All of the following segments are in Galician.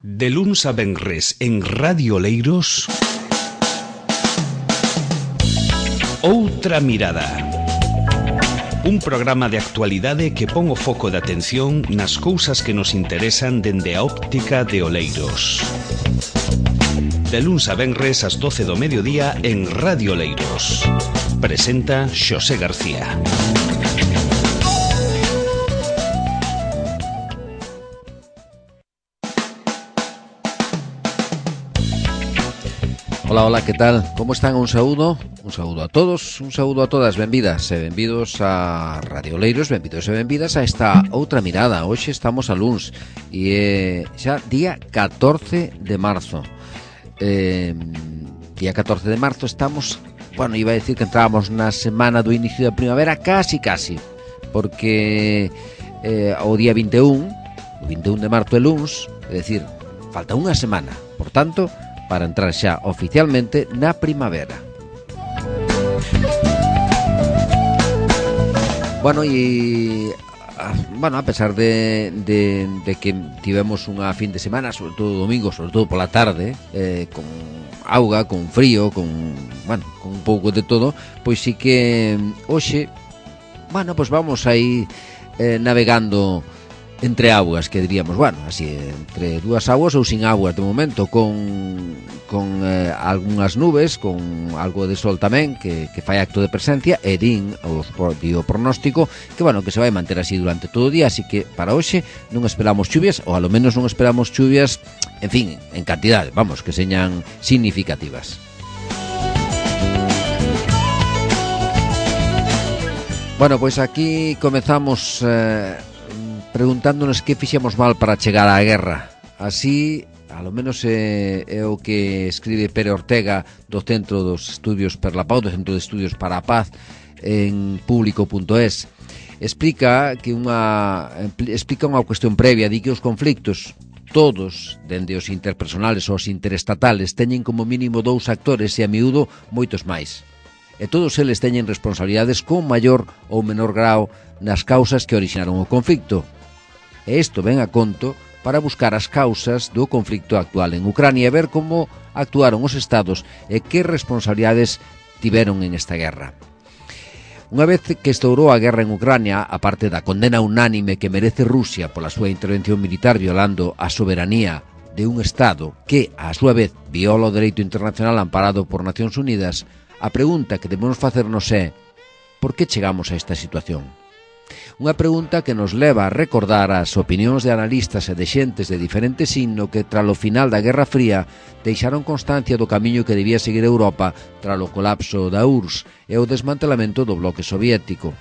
De luns a venres en Radio Oleiros, Outra Mirada. Un programa de actualidade que pon o foco de atención nas cousas que nos interesan dende a óptica de Oleiros. De luns a venres ás 12 do mediodía en Radio Oleiros. Presenta Xosé García. Hola, hola, ¿qué tal? ¿Cómo están? Un saúdo a todos, un saúdo a todas, benvidas e benvidos a Radio Oleiros, benvidos e benvidas a esta Outra Mirada. Hoxe estamos a luns e xa día 14 de marzo. Día 14 de marzo estamos, bueno, iba a decir que entrábamos na semana do inicio da primavera, casi, porque o día 21, o 21 de marzo é luns, é dicir, falta unha semana, por tanto, para entrar xa oficialmente na primavera. Bueno, a pesar de que tivemos unha fin de semana, sobre todo domingo, sobre todo pola tarde, con auga, con frío, con un pouco de todo, pois sí que hoxe, pois vamos aí navegando entre aguas, que diríamos, así, entre dúas aguas ou sin aguas de momento, con algunhas nubes, con algo de sol tamén, que fai acto de presencia, e o pronóstico que se vai manter así durante todo o día, así que para hoxe non esperamos chuvias, ou alo menos non esperamos chuvias, en fin, en cantidade, que señan significativas. Bueno, pois aquí comezamos preguntándonos que fixemos mal para chegar á guerra. Así, alo menos é o que escribe Pere Ortega do Centro dos Estudios per la Pau, do Centro de Estudios para a Paz, en público.es. Explica unha cuestión previa, di que os conflictos, todos, dende os interpersonales aos interestatales, teñen como mínimo dous actores e a miúdo moitos máis. E todos eles teñen responsabilidades con maior ou menor grao nas causas que orixinaron o conflicto. E isto ven a conto para buscar as causas do conflicto actual en Ucrania e ver como actuaron os estados e que responsabilidades tiveron en esta guerra. Unha vez que estourou a guerra en Ucrania, a parte da condena unánime que merece Rusia pola súa intervención militar violando a soberanía de un estado que, a súa vez, viola o dereito internacional amparado por Nacións Unidas, a pregunta que debemos facernos é: por que chegamos a esta situación? Unha pregunta que nos leva a recordar as opinións de analistas e de xentes de diferente signo que, tralo final da Guerra Fría, deixaron constancia do camiño que debía seguir Europa tralo colapso da URSS e o desmantelamento do bloque soviético.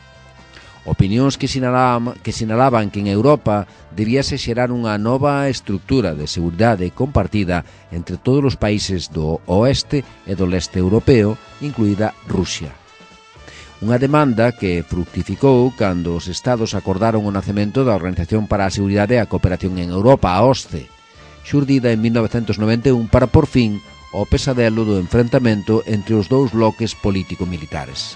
Opinións que sinalaban que en Europa debíase xerar unha nova estructura de seguridade compartida entre todos os países do oeste e do leste europeo, incluída Rusia. Unha demanda que fructificou cando os estados acordaron o nacemento da Organización para a Seguridade e a Cooperación en Europa, a OSCE, xurdida en 1991 para por fin ao pesadelo do enfrentamento entre os dous bloques político-militares.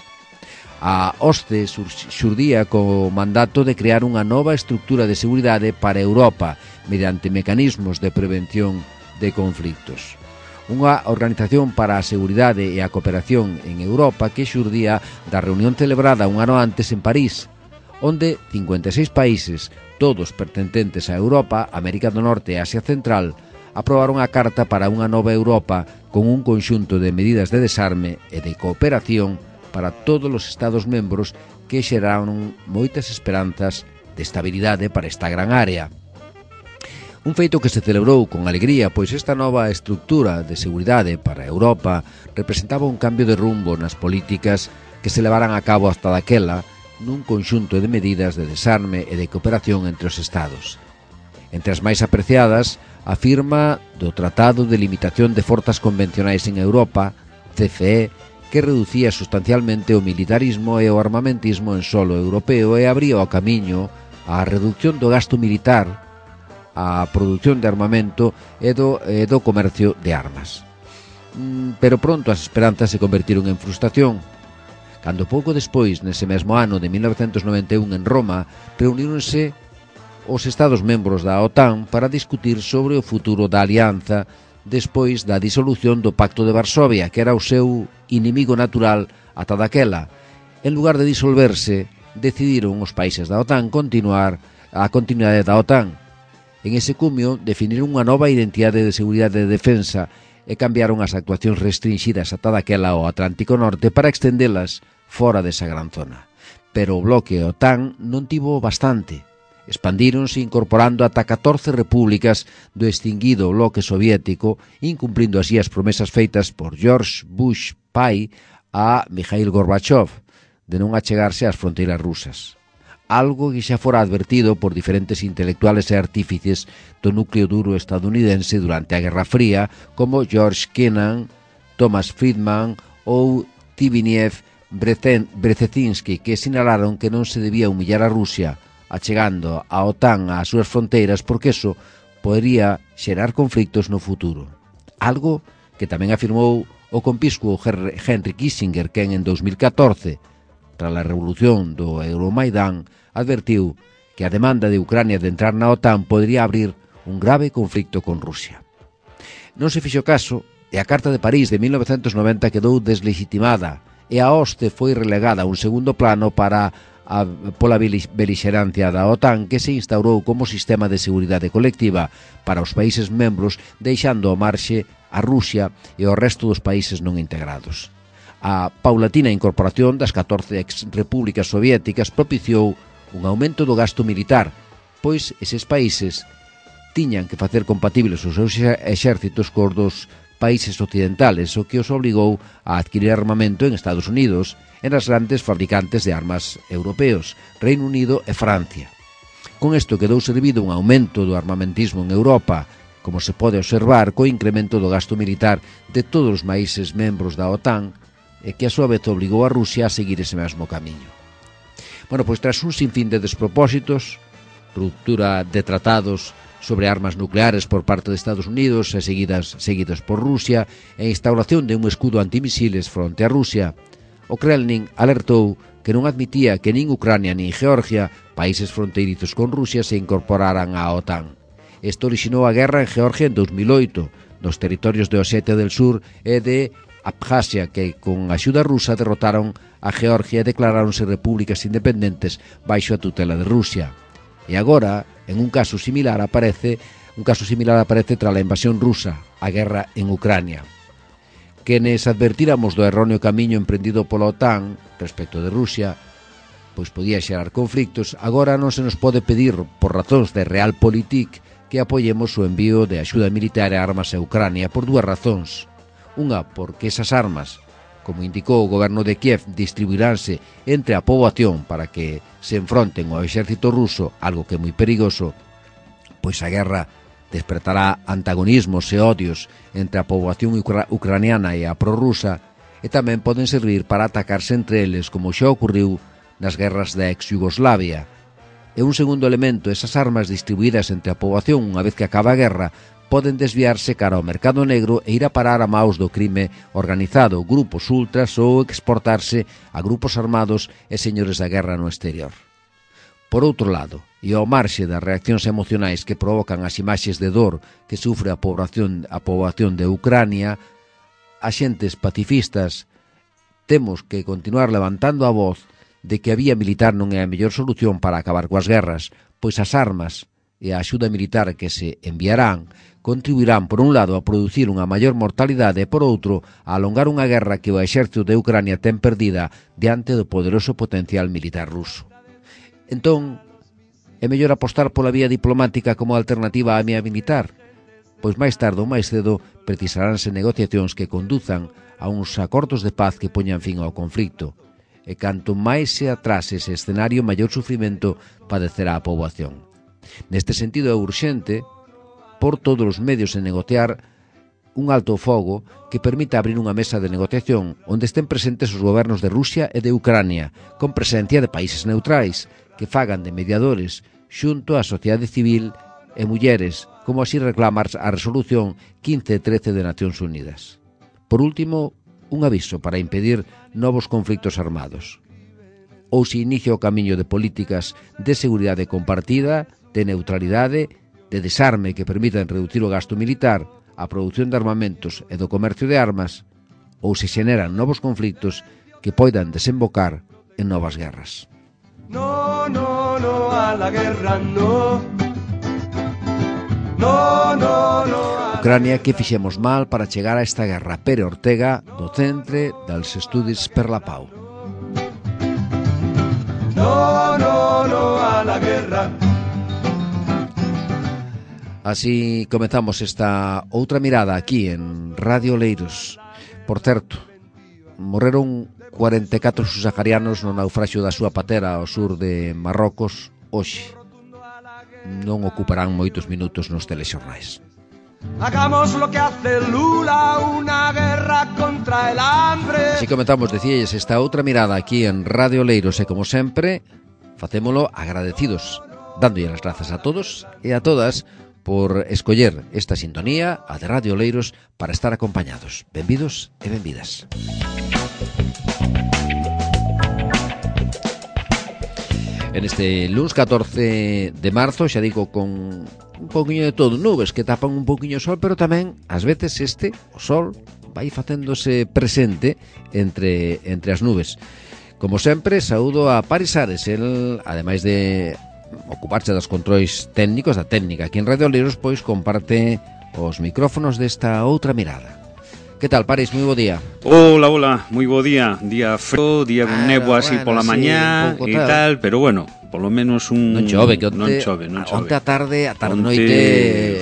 A OSCE xurdía co mandato de crear unha nova estructura de seguridade para Europa mediante mecanismos de prevención de conflictos. Unha organización para a seguridade e a cooperación en Europa que xurdía da reunión celebrada un ano antes en París, onde 56 países, todos pertencentes a Europa, América do Norte e Asia Central, aprobaron a Carta para unha nova Europa con un conxunto de medidas de desarme e de cooperación para todos os Estados membros que xeraron moitas esperanzas de estabilidade para esta gran área. Un feito que se celebrou con alegría, pois esta nova estructura de seguridade para Europa representaba un cambio de rumbo nas políticas que se levaran a cabo hasta daquela nun conxunto de medidas de desarme e de cooperación entre os Estados. Entre as máis apreciadas, a firma do Tratado de Limitación de Forzas Convencionais en Europa, CFE, que reducía sustancialmente o militarismo e o armamentismo en solo europeo e abría o camiño á reducción do gasto militar, a produción de armamento e do comercio de armas. Pero pronto as esperanzas se convertiron en frustración, cando pouco despois, nese mesmo ano de 1991 en Roma, reuníronse os Estados membros da OTAN para discutir sobre o futuro da alianza despois da disolución do Pacto de Varsovia, que era o seu inimigo natural ata daquela. En lugar de disolverse, decidiron os países da OTAN continuar a continuidade da OTAN. En ese cumio definiron unha nova identidade de seguridade e defensa e cambiaron as actuacións restringidas ata daquela ao Atlántico Norte para extendelas fora desa gran zona. Pero o bloque OTAN non tivo bastante. Expandíronse incorporando ata 14 repúblicas do extinguido bloque soviético, incumplindo así as promesas feitas por George Bush pai a Mikhail Gorbachev de non achegarse ás fronteiras rusas. Algo que xa fora advertido por diferentes intelectuales e artífices do núcleo duro estadounidense durante a Guerra Fría, como George Kennan, Thomas Friedman ou Zbigniew Brzezinski, que sinalaron que non se debía humillar a Rusia achegando a OTAN ás súas fronteiras porque eso podería xerar conflictos no futuro. Algo que tamén afirmou o compiscuo Henry Kissinger, que en 2014, tras a revolución do Euromaidán, advertiu que a demanda de Ucrania de entrar na OTAN podría abrir un grave conflicto con Rusia. Non se fixo caso e a Carta de París de 1990 quedou deslegitimada e a hoste foi relegada a un segundo plano pola belixerancia da OTAN, que se instaurou como sistema de seguridade colectiva para os países membros, deixando ao marxe a Rusia e o resto dos países non integrados. A paulatina incorporación das 14 ex-repúblicas soviéticas propiciou un aumento do gasto militar, pois eses países tiñan que facer compatibles os seus exércitos cos dos países occidentales, o que os obligou a adquirir armamento en Estados Unidos e nas grandes fabricantes de armas europeos, Reino Unido e Francia. Con isto quedou servido un aumento do armamentismo en Europa, como se pode observar co incremento do gasto militar de todos os países membros da OTAN, e que a súa vez obligou a Rusia a seguir ese mesmo camiño. Bueno, pois tras un sinfín de despropósitos, ruptura de tratados sobre armas nucleares por parte de Estados Unidos e seguidas por Rusia e instauración de un escudo antimisiles fronte a Rusia, o Kremlin alertou que non admitía que nin Ucrania nin Georgia, países fronteirizos con Rusia, se incorporaran á OTAN. Isto orixinou a guerra en Georgia en 2008, nos territorios de Osetia del Sur e de Abjasia, que con axuda rusa derrotaron a Georgia e declaráronse repúblicas independentes baixo a tutela de Rusia. E agora, un caso similar aparece tras a invasión rusa, a guerra en Ucrania. Quenes advertíramos do erróneo camiño emprendido pola OTAN respecto de Rusia, pois podía xerar conflictos, agora non se nos pode pedir, por razóns de realpolitik, que apoyemos o envío de axuda militar e armas a Ucrania por dúas razóns. Unha, porque esas armas, como indicou o goberno de Kiev, distribuiránse entre a poboación para que se enfronten ao exército ruso, algo que é moi perigoso, pois a guerra despertará antagonismos e odios entre a poboación ucraniana e a prorrusa, e tamén poden servir para atacarse entre eles, como xa ocurriu nas guerras da ex-Yugoslavia. E un segundo elemento, esas armas distribuídas entre a poboación unha vez que acaba a guerra, poden desviarse cara ao mercado negro e ir a parar a maus do crime organizado, grupos ultras ou exportarse a grupos armados e señores da guerra no exterior. Por outro lado, e ao marxe das reaccións emocionais que provocan as imaxes de dor que sufre a poboación de Ucrania, as xentes pacifistas temos que continuar levantando a voz de que a vía militar non é a mellor solución para acabar coas guerras, pois as armas e a axuda militar que se enviarán contribuirán, por un lado, a producir unha maior mortalidade e, por outro, a alongar unha guerra que o exército de Ucrania ten perdida diante do poderoso potencial militar ruso. Entón, é mellor apostar pola vía diplomática como alternativa á vía militar? Pois máis tarde ou máis cedo precisaránse negociacións que conduzan a uns acordos de paz que poñan fin ao conflito. E canto máis se atrase ese escenario, maior sufrimento padecerá a poboación. Neste sentido é urxente por todos os medios en negociar un alto ao fogo que permita abrir unha mesa de negociación onde estén presentes os gobernos de Rusia e de Ucrania, con presencia de países neutrais, que fagan de mediadores xunto á sociedade civil e mulleres, como así reclama a resolución 1513 de Nacións Unidas. Por último, un aviso para impedir novos conflictos armados. Ou se inicia o camiño de políticas de seguridade compartida, de neutralidade, de desarme que permitan reducir o gasto militar, a produción de armamentos e do comercio de armas, ou se xeneran novos conflictos que poidan desembocar en novas guerras. No, no, no a la guerra, no. No, no, no. Ucrania, que fixemos mal para chegar a esta guerra? Pere Ortega, do Centre dels Estudis per la Pau. No, no, no a la guerra. Así comezamos esta outra mirada aquí en Radio Oleiros. Por certo, morreron 44 subsaharianos no naufraxio da súa patera ao sur de Marrocos hoxe. Non ocuparán moitos minutos nos telexornais. Hagamos lo que hace Lula, una guerra contra el hambre. Así comenzamos, decíais, esta outra mirada aquí en Radio Oleiros e, como sempre, facémolo agradecidos, dándolle as grazas a todos e a todas por escoller esta sintonía, a de Radio Oleiros, para estar acompañados. Benvidos e benvidas. En este lunes 14 de marzo, xa digo, con un poquinho de todo, nubes que tapan un poquinho o sol, pero tamén, ás veces, o sol vai facéndose presente entre as nubes. Como sempre, saúdo a Paris Ares, el, ademais de ocuparse dos controis técnicos da técnica aquí en Radio Oleiros, pois comparte os micrófonos desta outra mirada. Que tal, Paris? Moi bo día. Hola, moi bo día. Día frío, día con néboa así pola mañá e tal, pero bueno, polo menos un... Non chove, que non chove. Onte a tarde, noite...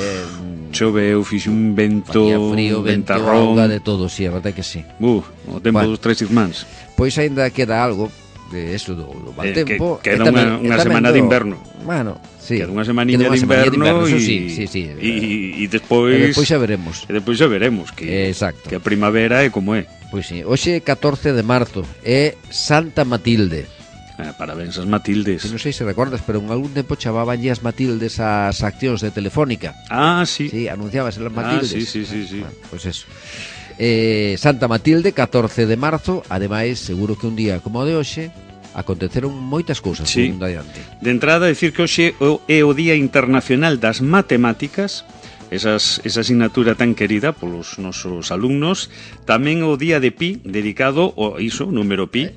Chove, eu fixe un vento, frío, ventarrón. De todo, sí, a verdade que sí. O tempo dos tres irmáns. Pois aínda queda algo de eso do mal tempo. Queda unha semana de inverno. Bueno, sí. Queda unha semanilla de inverno e despois xa veremos. E despois xa veremos que a primavera é como é. Pois sí, hoxe 14 de marzo é Santa Matilde. Parabéns as Matildes. Non sei se recordas, pero en algún tempo chamabanlle as Matildes as accións de Telefónica. Sí. Sí, anunciabas as Matildes. Sí. Bueno, pois eso. Santa Matilde, 14 de marzo. Ademais, seguro que un día como o de hoxe aconteceron moitas cousas no mundo adiante. De entrada, decir que hoxe é o Día Internacional das Matemáticas, esa asignatura tan querida polos nosos alumnos. Tamén o Día de Pi, dedicado ao número Pi.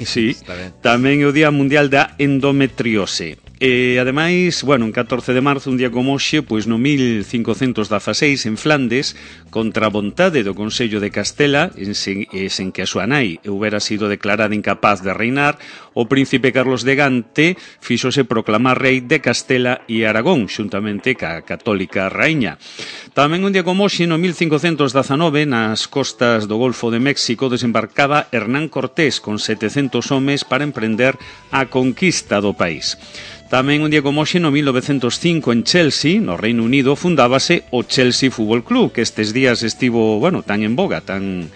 Sí. Tamén o Día Mundial da Endometriose. Ademais, en 14 de marzo, un día como hoxe, pois no 1516, en Flandes, contra a vontade do Consello de Castela, sen que a súa nai houbera sido declarada incapaz de reinar, o príncipe Carlos de Gante fíxose proclamar rei de Castela e Aragón, xuntamente ca católica raíña. Tamén un día como hoxe, no 1519, nas costas do Golfo de México, desembarcaba Hernán Cortés con 700 homes para emprender a conquista do país. Tamén un día como hoxe, no 1905, en Chelsea, no Reino Unido, fundábase o Chelsea Fútbol Club, que estes días estivo, tan en boga, tan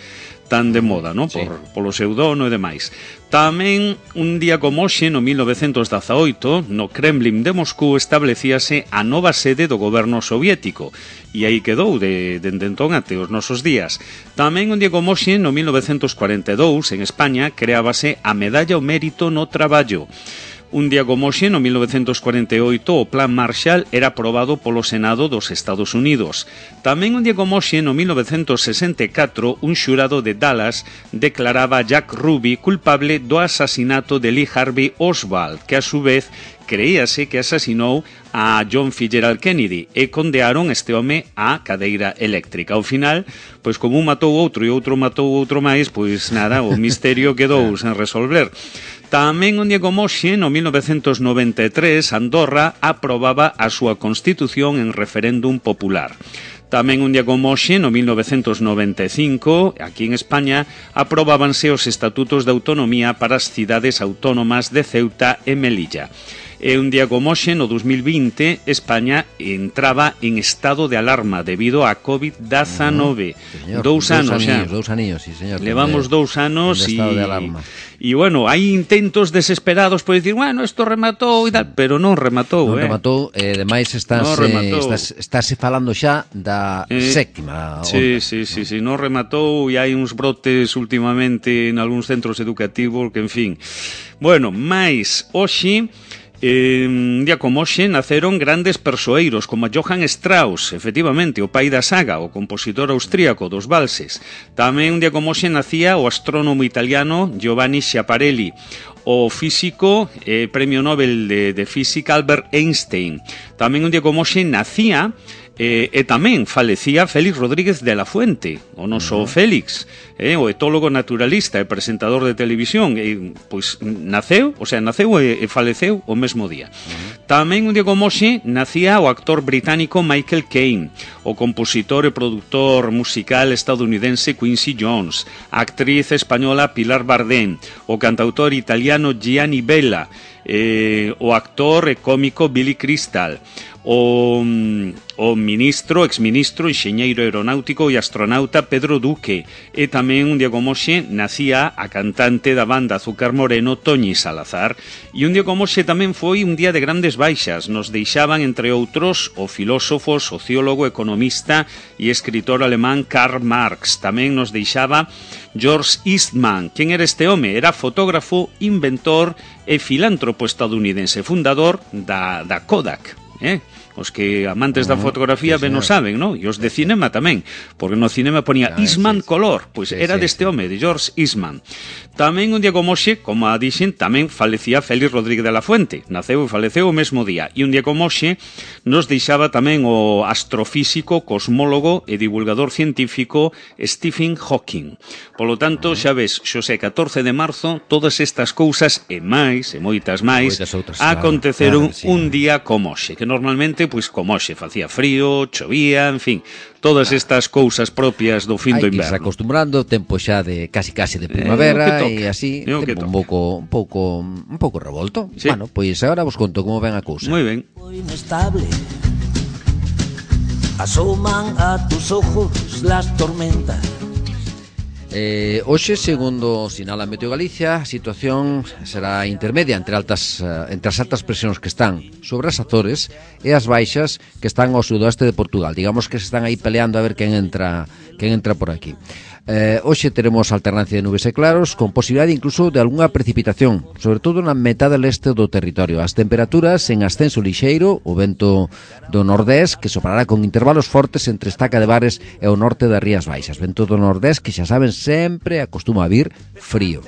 de moda, ¿no? Polo seu dono e demais. Tamén un día como hoxe, no 1918, no Kremlin de Moscú, establecíase a nova sede do goberno soviético, e aí quedou dende entón até os nosos días. Tamén un día como hoxe, no 1942, en España, creábase a Medalla ao Mérito no Traballo. Un día como hoxe, no 1948, o Plan Marshall era aprobado polo Senado dos Estados Unidos. Tamén un día como hoxe, no 1964, un xurado de Dallas declaraba a Jack Ruby culpable do asasinato de Lee Harvey Oswald, que a su vez creíase que asasinou a John Fitzgerald Kennedy, e condearon este home á cadeira eléctrica. Ao final, pois como un matou outro e outro matou outro máis, pois nada, o misterio quedou sen resolver. Tamén un día como hoxe, no 1993, Andorra aprobaba a súa constitución en referéndum popular. Tamén un día como hoxe, no 1995, aquí en España, aprobábanse os estatutos de autonomía para as cidades autónomas de Ceuta e Melilla. E un día como hoxe, no 2020, España entraba en estado de alarma debido a COVID-19. Dous anos xa. Dous aninhos, sí, señor. Levamos 2 anos e estado de alarma. E, hai intentos desesperados por dicir, isto rematou e tal, pero non rematou, Non rematou, ademais estáse falando xa da sétima onda. Sí, non rematou e hai uns brotes últimamente en algúns centros educativos que, en fin. Mais, hoxe, Un día como hoxe naceron grandes persoeiros como Johann Strauss, efectivamente, o pai da saga, o compositor austríaco dos valses. Tamén un día como hoxe nacía o astrónomo italiano Giovanni Schiaparelli, o físico premio Nobel de Física Albert Einstein. Tamén un día como hoxe nacía e tamén falecía Félix Rodríguez de la Fuente, o noso Félix, o etólogo naturalista e presentador de televisión, pois naceu e faleceu o mesmo día. Tamén un día como hoxe nacía o actor británico Michael Caine, o compositor e produtor musical estadounidense Quincy Jones, a actriz española Pilar Bardem, o cantautor italiano Gianni Bella, o actor e cómico Billy Crystal, o exministro, enxeñeiro aeronáutico e astronauta Pedro Duque, e tamén un día como hoxe nacía a cantante da banda Azúcar Moreno Toñi Salazar. E un día como hoxe tamén foi un día de grandes baixas. Nos deixaban, entre outros, o filósofo, sociólogo, economista e escritor alemán Karl Marx. Tamén nos deixaba George Eastman. Quen era este home? Era fotógrafo, inventor e filántropo estadounidense, fundador da Kodak. Os que amantes da fotografía ben o saben, non? E os de cinema tamén, porque no cinema ponía Eastman Color, pois era deste home, de George Eastman. Tamén un día como hoxe, como a dixen, tamén falecía Félix Rodríguez de la Fuente, naceu e faleceu o mesmo día. E un día como hoxe nos deixaba tamén o astrofísico, cosmólogo e divulgador científico Stephen Hawking. Polo tanto, xa ves, xosé 14 de marzo, todas estas cousas e máis, e moitas máis, aconteceron un día como hoxe, que normalmente, pois como hoxe, facía frío, chovía, en fin, todas estas cousas propias do fin do inverno. Hai que se acostumbrando, tempo xa de casi de primavera e así, tempo un pouco revolto. Sí. Bueno, pois agora vos conto como ven a cousa. Moi ben. Inestable. Asoman a tus ojos las tormentas. Hoxe, segundo sinala Meteo Galicia, a situación será intermedia entre as altas presións que están sobre as Azores e as baixas que están ao sudoeste de Portugal. Digamos que se están aí peleando a ver quen entra por aquí. Hoxe teremos alternancia de nubes e claros, con posibilidade incluso de algunha precipitación, sobre todo na metade leste do territorio. As temperaturas en ascenso lixeiro, o vento do nordés, que soprará con intervalos fortes entre Estaca de Bares e o norte das Rías Baixas. Vento do nordés que xa saben sempre acostuma a vir frío.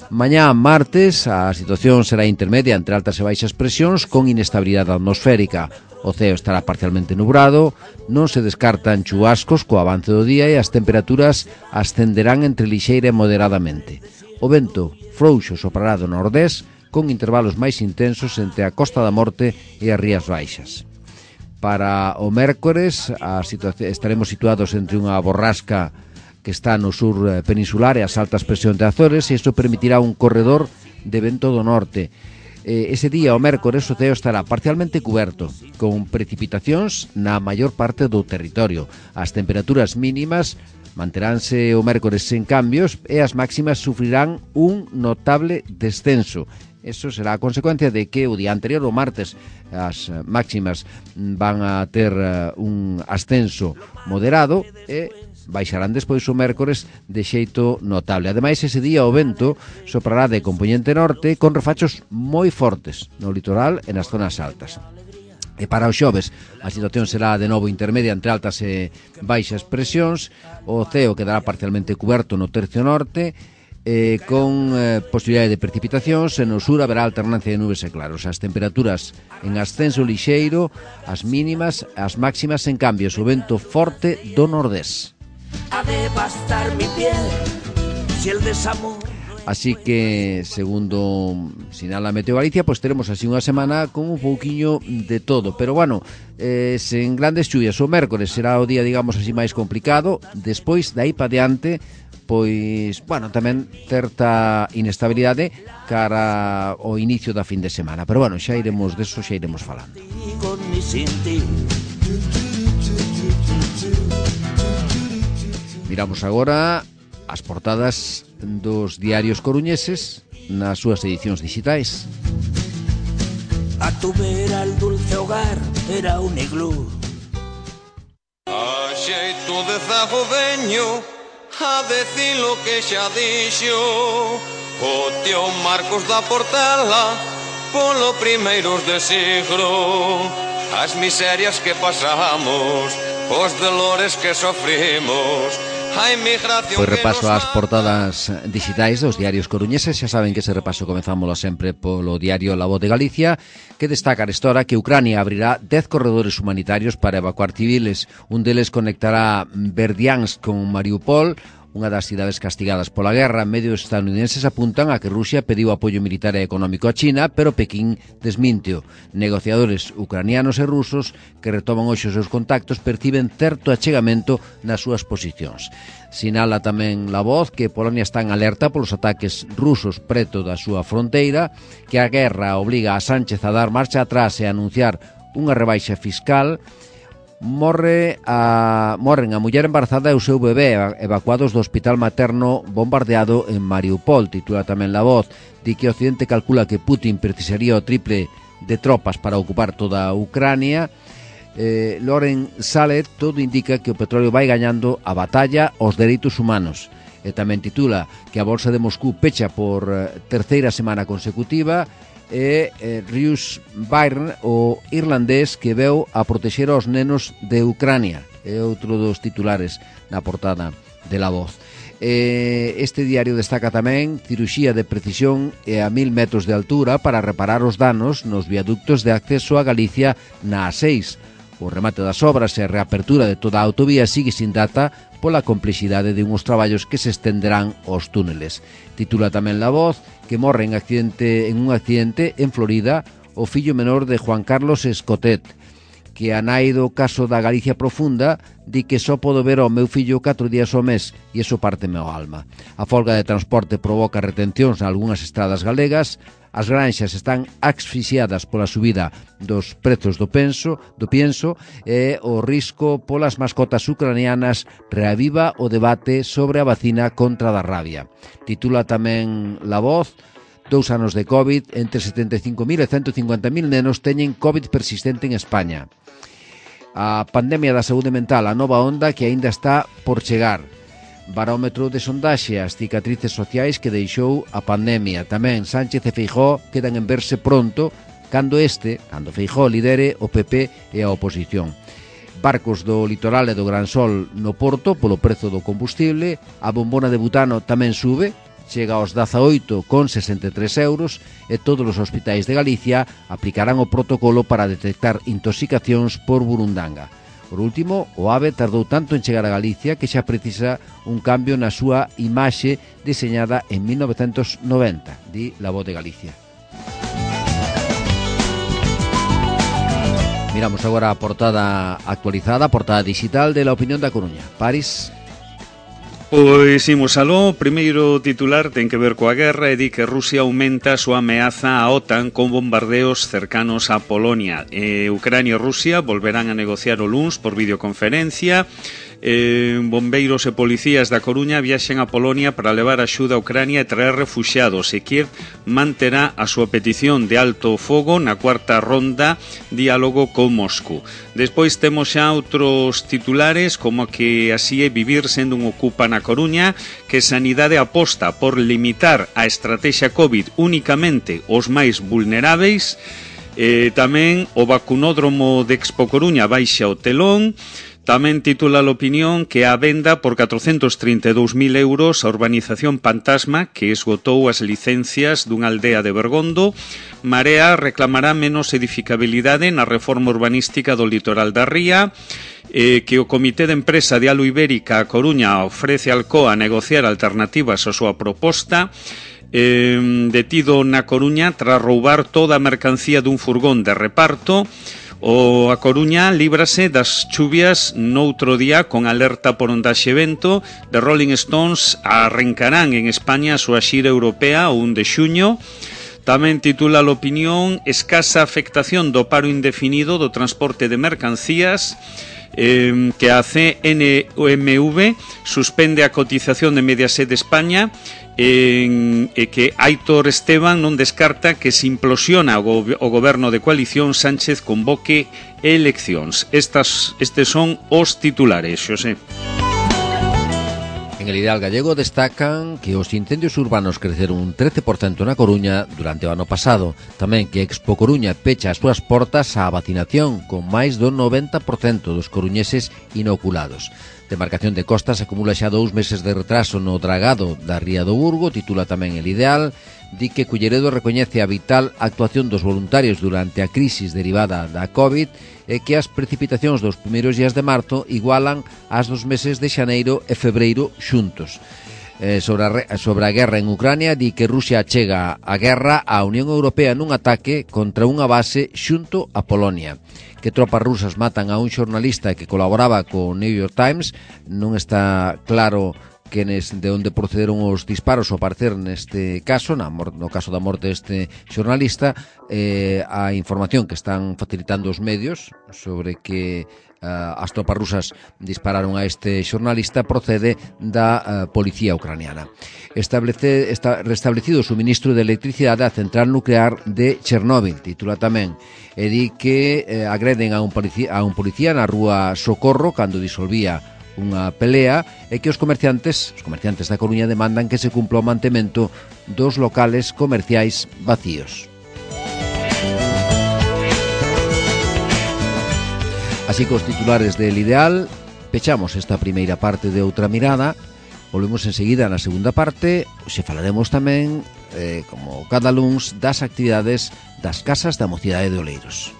Mañá, martes, a situación será intermedia entre altas e baixas presións con inestabilidade atmosférica. O ceo estará parcialmente nubrado, non se descartan chubascos co avance do día e as temperaturas ascenderán entre lixeira e moderadamente. O vento frouxo soprará do nordés con intervalos máis intensos entre a Costa da Morte e as Rías Baixas. Para o mércores estaremos situados entre unha borrasca que está no sur peninsular e as altas presións de Azores, e isto permitirá un corredor de vento do norte. Ese día, o mércores, o ceo estará parcialmente cuberto, con precipitacións na maior parte do territorio. As temperaturas mínimas manteránse o mércores sen cambios e as máximas sufrirán un notable descenso. Eso será a consecuencia de que o día anterior, o martes, as máximas van a ter un ascenso moderado e baixarán despois o mércores de xeito notable. Ademais, ese día o vento soprará de compoñente norte con refachos moi fortes no litoral e nas zonas altas. E para os xoves a situación será de novo intermedia entre altas e baixas presións. O ceo quedará parcialmente cuberto no tercio norte con posibilidade de precipitacións, e no sur haberá alternancia de nubes e claros. As temperaturas en ascenso lixeiro, as mínimas, as máximas en cambios, o vento forte do nordés. A devastar mi piel si el desamor. Así que, segundo sinala Meteo Galicia, pues teremos así unha semana con un pouquiño de todo. Pero bueno, sen grandes lluvias. O mércores será o día, digamos así, máis complicado. Despois, de aí pa diante, pois, bueno, tamén certa inestabilidade cara ao inicio da fin de semana. Pero bueno, xa iremos deso, xa iremos falando. Miramos agora as portadas dos diarios coruñeses nas súas edicións digitais. A tu vera el dulce hogar era un iglú. A xeito de zagodeño, a decir lo que xa dixo o tío Marcos da Portela, polo primeiros de siglo. As miserias que pasamos, os dolores que sofrimos, a inmigración. Pois repaso ás portadas digitais dos diarios coruñeses. Xa saben que ese repaso comezámoslo sempre polo diario La Voz de Galicia, que destaca esta hora que Ucrania abrirá 10 corredores humanitarios para evacuar civiles. Un deles conectará Berdiansk con Mariupol, unha das cidades castigadas pola guerra. Medios estadounidenses apuntan a que Rusia pediu apoio militar e económico a China, pero Pequín desminteo. Negociadores ucranianos e rusos que retoman hoxe os seus contactos perciben certo achegamento nas súas posicións. Sinala tamén La Voz que Polonia está en alerta polos ataques rusos preto da súa fronteira, que a guerra obliga a Sánchez a dar marcha atrás e a anunciar unha rebaixa fiscal. Morren a muller embarazada e o seu bebé evacuados do hospital materno bombardeado en Mariupol. Titula tamén La Voz. Di que o Occidente calcula que Putin precisaría o triple de tropas para ocupar toda a Ucrania. Loren Salet, todo indica que o petróleo vai gañando a batalla aos dereitos humanos. E tamén titula que a Bolsa de Moscú pecha por terceira semana consecutiva. E Rius Byrne, o irlandés que veu a protexer aos nenos de Ucrania, é outro dos titulares na portada de La Voz. Este diario destaca tamén cirurxía de precisión e a 1000 metros de altura para reparar os danos nos viaductos de acceso a Galicia na A6. O remate das obras e a reapertura de toda a autovía sigue sin data pola complexidade de uns traballos que se estenderán aos túneles. Titula tamén La Voz que morre en un accidente en Florida o fillo menor de Juan Carlos Escotet, que a nai do caso da Galicia Profunda di que só podo ver ao meu fillo 4 días ao mes e iso párteme ao alma. A folga de transporte provoca retencións en algunhas estradas galegas. As granxas están asfixiadas pola subida dos prezos do pienso e o risco polas mascotas ucranianas reaviva o debate sobre a vacina contra a rabia. Titula tamén La Voz: 2 anos de COVID, entre 75.000 e 150.000 nenos teñen COVID persistente en España. A pandemia da saúde mental, a nova onda que aínda está por chegar. Barómetro de sondaxe, as cicatrices sociais que deixou a pandemia. Tamén Sánchez e Feijóo quedan en verse pronto cando Feijóo lidere o PP e a oposición. Barcos do litoral e do Gran Sol no Porto polo prezo do combustible. A bombona de butano tamén sube, chega aos 18,63 euros e todos os hospitais de Galicia aplicarán o protocolo para detectar intoxicacións por burundanga. Por último, o AVE tardou tanto en chegar a Galicia que xa precisa un cambio na súa imaxe deseñada en 1990, di La Voz de Galicia. Miramos agora a portada actualizada, a portada digital de La Opinión da Coruña. París. Pois imos aló. Primeiro titular ten que ver coa guerra e di que Rusia aumenta a súa ameaza á OTAN con bombardeos cercanos a Polonia. Ucrania e Rusia volverán a negociar o luns por videoconferencia. Bombeiros e policías da Coruña viaxen a Polonia para levar axuda a Ucrania e traer refuxiados, e Kiev manterá a súa petición de alto fogo na cuarta ronda diálogo con Moscú. Despois temos xa outros titulares como que así é vivir sendo un ocupa na Coruña, que Sanidade aposta por limitar a estrategia COVID únicamente os máis vulneráveis. Tamén o vacunódromo de Expo Coruña baixa o telón. Tamén titula a Opinión que a venda por 432.000 euros a urbanización Pantasma, que esgotou as licencias dunha aldea de Bergondo. Marea reclamará menos edificabilidade na reforma urbanística do litoral da Ría. Que o Comité de Empresa de Alo Ibérica a Coruña ofrece a Alcoa a negociar alternativas á súa proposta. Detido na Coruña tras roubar toda a mercancía dun furgón de reparto. A Coruña líbrase das chuvias noutro día con alerta por ondaxe vento. The Rolling Stones arrancarán en España a súa xira europea o 1 de xuño. Tamén titula a Opinión: escasa afectación do paro indefinido do transporte de mercancías. Que a CNMV suspende a cotización de Mediaset de España. Que Aitor Esteban non descarta que se implosiona o goberno de coalición, Sánchez convoque eleccións. Estes son os titulares, Xosé. En el Ideal Gallego destacan que os incendios urbanos creceron un 13% na Coruña durante o ano pasado. Tamén que Expo Coruña pecha as súas portas á vacinación, con máis do 90% dos coruñeses inoculados. Demarcación de Costas acumula xa 2 meses de retraso no dragado da Ría do Burgo, titula tamén el Ideal. Di que Culleredo recoñece a vital actuación dos voluntarios durante a crisis derivada da COVID e que as precipitacións dos primeiros días de marzo igualan as dos meses de xaneiro e febreiro xuntos. Sobre a guerra en Ucrania, di que Rusia achega a guerra á Unión Europea nun ataque contra unha base xunto a Polonia. Que tropas rusas matan a un xornalista que colaboraba co New York Times. Non está claro de onde procederon os disparos ao parecer neste caso, no caso da morte deste xornalista. A información que están facilitando os medios sobre que as tropas rusas dispararon a este xornalista procede da policía ucraniana. Está restablecido o suministro de electricidade á central nuclear de Chernóbil, titula tamén, e di que agreden a un policía na rúa Socorro cando disolvía unha pelea, e que os comerciantes da Coruña demandan que se cumpla o mantemento dos locales comerciais vacíos. Así que os titulares del Ideal, pechamos esta primeira parte de Outra Mirada. Volvemos enseguida na segunda parte. Hoxe falaremos tamén, como cada luns, das actividades das Casas da Mocidade de Oleiros.